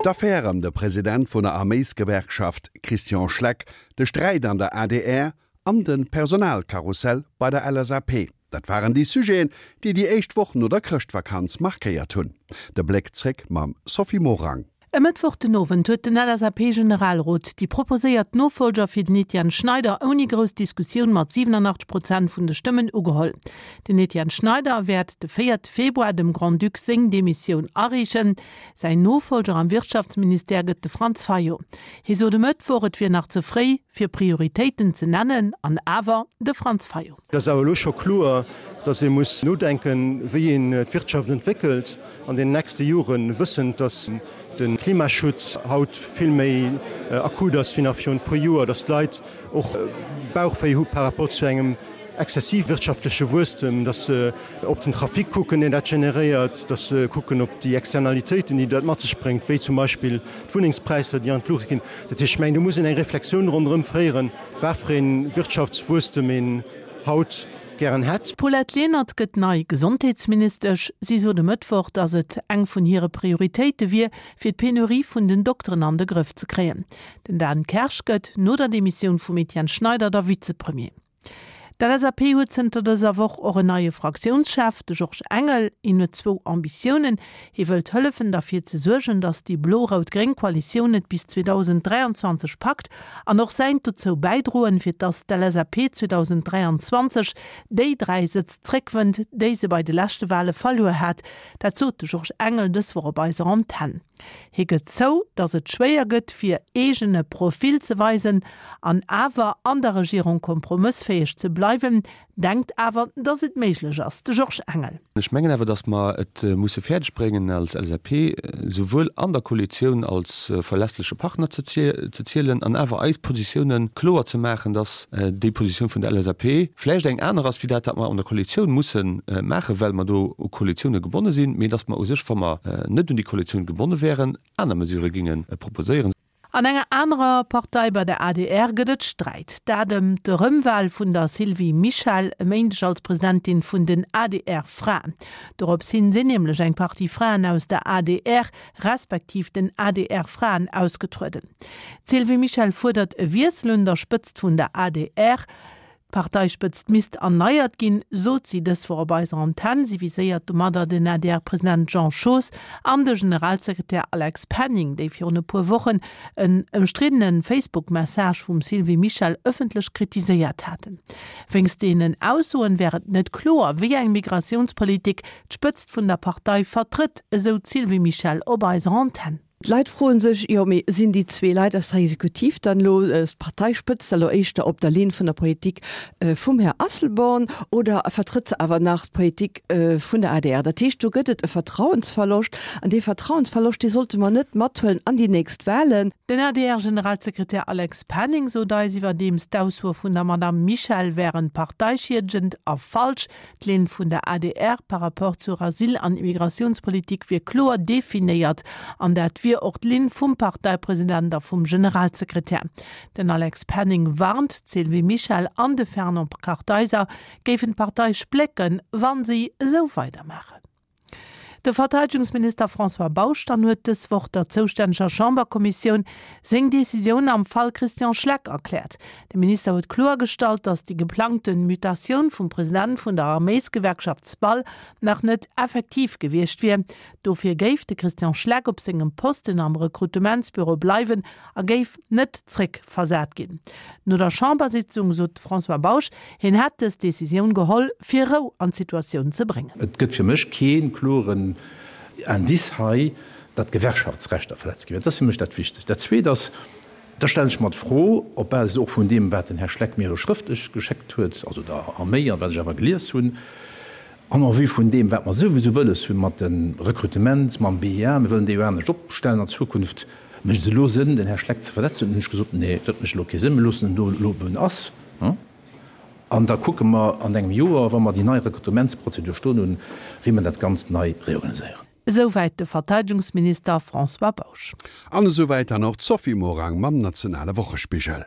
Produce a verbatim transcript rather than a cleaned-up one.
D'Affär ëm de President vun der Arméisgewerkschaft Christian Schleck, de Sträit an der adr an de Personalkarussell bei der L S A P. Dat waren déi Sujeten, déi déi éischt Woch no der Chrëschtvakanz markéiert hunn. De Bléck zréck mam Sophie Morang. E Mëttwoch den Owend huet den L S A P-Generalrot déi proposéiert Nofollger fir den Etienne Schneider ouni grouss Diskussioun mat siwenanachtzeg Prozent vun de Stëmmen ugeholl. Den Etienne Schneider wäert de véierte Februar dem Grand-Duc seng Demissioun areechen. Säin Nofollger am Wirtschaftsministère gëtt de Franz Fayot. Hie sot e Mëttwoch, et wier nach ze fréi, fir Prioritéiten ze nennen, an awer, de Franz Fayot. Et ass awer elo scho kloer, datt ee muss nodenken, wéi een d'Wirtschaft entwéckelt an den nächste Joren, wëssend, datt de Klimaschutz haut vill méi akut ass wéi nach virun e puer Joer, datt d'Leit och Bauchwéi hu par rapport zu engem exzessiv wirtschaftleche Wuesstem, datt se op den Trafic kucken, deen dat generéiert, datt se kucken op déi Externalitéiten, déi dat mat sech bréngt, wéi zum Beispill d'Wunnengspräisser, déi an d'Luucht ginn. Dat heescht, ech mengen, do muss een eng Reflexioun ronderëm féieren, wat fir ee Wirtschaftswuesstem een haut gären hätt. D'Paulette Lenert gëtt nei Gesondheetsministesch. Si sot e Mëttwoch, datt et eng vun hire Prioritéite wier, fir d'Penurie vun den Dokteren an de Grëff ze kréien. Den Dan Kersch gëtt no der Demissioun vum Etienne Schneider da Vizepremier. D'L S A P huet zënter dëser Woch och en neie Fraktiounschef, de Georges Engel. Hien huet zwou Ambitiounen. Hie wëllt hëllefen derfir ze suergen, datt déi blo-rout-gréng Koalitioun et bis zweedausend dräianzwanzeg packt an och säint dozou bäidroen, fir datt d'L S A P zweedausend dräianzwanzeg déi dräi Sëtz zréckwënnt, déi se bei de leschte Wale verluer hat. Dat sot de Georges Engel dës Woch op eiser Antenn. Hie gëtt zou, datt et schwéier gëtt, fir eegene Profil ze weisen an awer an der Regierung kompromëssfäeg ze bleiwen, denkt awer, datt et méiglech ass, de Georges Engel. Ech mengen awer, datt mer et musse fäerdeg bréngen als L S A P, souwuel an der Koalitioun als verlässleche Partner ze zielen an awer eis Positioune kloer ze maachen, datt déi Positioun vun der L S A P vläicht eng aner ass wéi dat, wat mer an der Koalitioun musse maachen, well mer do u Koalitioune gebonne sinn, mee datt mer u sech, wa mer net un déi Koalitioun gebonne wären, aner Mesurë géinge proposéieren. An enger anerer Partei, bei der A D R, gëtt et Sträit. Dat ëm d'Erëmwal vun der Sylvie Mischel e Méindeg als Presidentin vun den A D R-Fraen. Dorops hin sinn nämlech eng Partie Fraen aus der A D R respektiv den A D R-Fraen ausgetrueden. D'Sylvie Mischel fuerdert e Wiessel un der Spëtzt vun der A D R. D'Parteispëtzt misst erneiert ginn, sot si dës Woch op eiser Antenn. Si viséiert domadder den A D R-President Jean Schoos an de Generalsekretär Alex Penning, déi virun e puer Wochen en ëmstriddene Facebook-Message vum Sylvie Mischel ëffentlech kritiséiert haten. Wéinst deenen Aussoen wär et net kloer, wéi eng Migratiounspolitik d'Spëtzt vun der Partei vertrëtt, esou d'Sylvie Mischel op eiser Antenn. D'Leit froen sech, jo mee sinn déi zwee Leit aus der Exekutiv dann elo, d'Parteispëtzt elo éischter op der Linn vun der Politik vum Här Asselborn oder vertrëtt se awer nach d'Politik vun der A D R? Dat heescht, do gëtt et e Vertrauensverloscht an dee Vertrauensverloscht, dee sollte mer net mathuelen an déi nächst Wahlen. Den A D R-Generalsekretär Alex Penning sot eis iwwerdeems, d'Aussoe vun der Madame Mischel wären parteischiedegend a falsch. D'Linn vun der A D R par rapport zur Asyl an Immigratiounspolitik wier kloer definéiert an dat wier och d'Linn vum Parteipresident a vum Generalsekretär. Den Alex Penning warnt, d'Sylvie Mischel an de Fernand Kartheiser géifen d'Partei splécken, wann si esou weidermaachen. De Verteidegungsminister François Bausch dann huet dës Woch der zoustänneger Chamberkommissioun seng Decisioun am Fall Christian Schleck erkläert. De Minister huet kloergestallt, datt déi geplangte Mutatioun vum President vun der Arméisgewerkschaft SPAL nach net effektiv gewiescht wier. Dofir géif de Christian Schleck op sengem Posten am Rekrutementsbüro bleiwen a géif net zréckversat ginn. No der Chambersitzung sot de François Bausch, hien hätt dës Decisioun geholl, fir Rou an d'Situatioun ze bréngen. Et gëtt fir mech kee kloren Indice hei, datt Gewerkschaftsrechter verletzt gi wären. Dat ass fir mech dat Wichtegst. Dat Zweet ass, da stellen ech mer d'Fro, op Basis och vun deem, wat den Här Schleck mir elo schrëftlech geschéckt huet, also der Arméi, a wat ech awer gelies hunn, an en vue vun deem, wat mer souwisou wëlles hunn mat dem Rekrutement, mam B I A, mir wëllen dee jo anescht opstellen an Zukunft, mécht et elo Sënn, den Här Schleck ze versetzen? Hunn ech gesot, Nee, dat mécht elo kee Sënn, mir loossen en do elo, wou en ass. An da kucke mer an engem Joer, wa mer déi nei Rekrutementsprozedur stoen hunn, wéi mer dat Ganzt nei reorganiséieren. Esouwäit de Verteidegungsminister François Bausch. An esouwäit dann och d'Sophie Morang mam nationale Wochespigel.